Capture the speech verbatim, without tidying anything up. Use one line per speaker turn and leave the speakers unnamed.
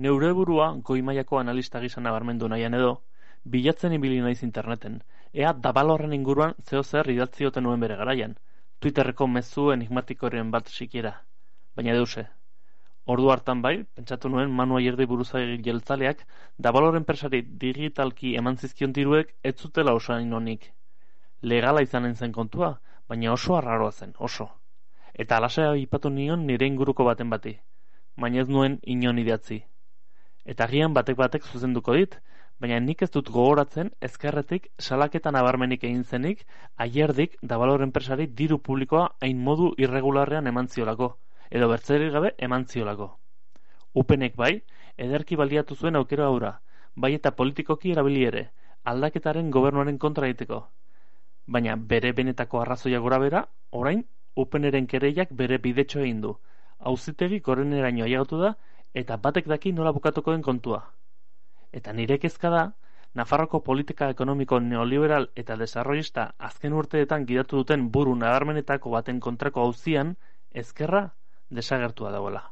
Neure burua goi mailako analista gisa nabarmendu nahian edo, bilatzen ibili naiz interneten, ea Davalorren inguruan zeo zer idatzioten nuen bere garaian, Twitterreko mezu enigmatikoren bat sikiera, baina deuse. Ordu hartan bai, pentsatu nuen Manu Ayerdi buruzagi jeltzaleak Davalor enpresari digitalki eman zizkion diruek ez zutela osain honik. Legala izanen zen kontua, baina oso arraroa zen, oso. Eta alaxe aipatu nion nire inguruko baten bati, baina ez nuen inon idatzi. Eta agian batek batek zuzenduko dit, baina nik ez dut gogoratzen ezkerretik salaketan nabarmenik egin zenik Ayerdik Davalor enpresari diru publikoa hain modu irregularrean eman ziolako, edo bertzerik gabe eman ziolako. Upenek bai, ederki baliatu zuen aukera aura, bai eta politikoki erabili ere, aldaketaren gobernuaren kontra egiteko. Baina bere benetako arrazoia gora bera, orain, Upeneren kereiak bere bidetxo egin du. Auzitegi goreneraino ailegatu da, eta batek daki nola bukatuko den kontua. Eta nire kezka da, Nafarroko politika ekonomiko neoliberal eta desarrollista azken urteetan gidatu duten buru nabarmenetako baten kontrako auzian, ezkerra desagertua dagoela.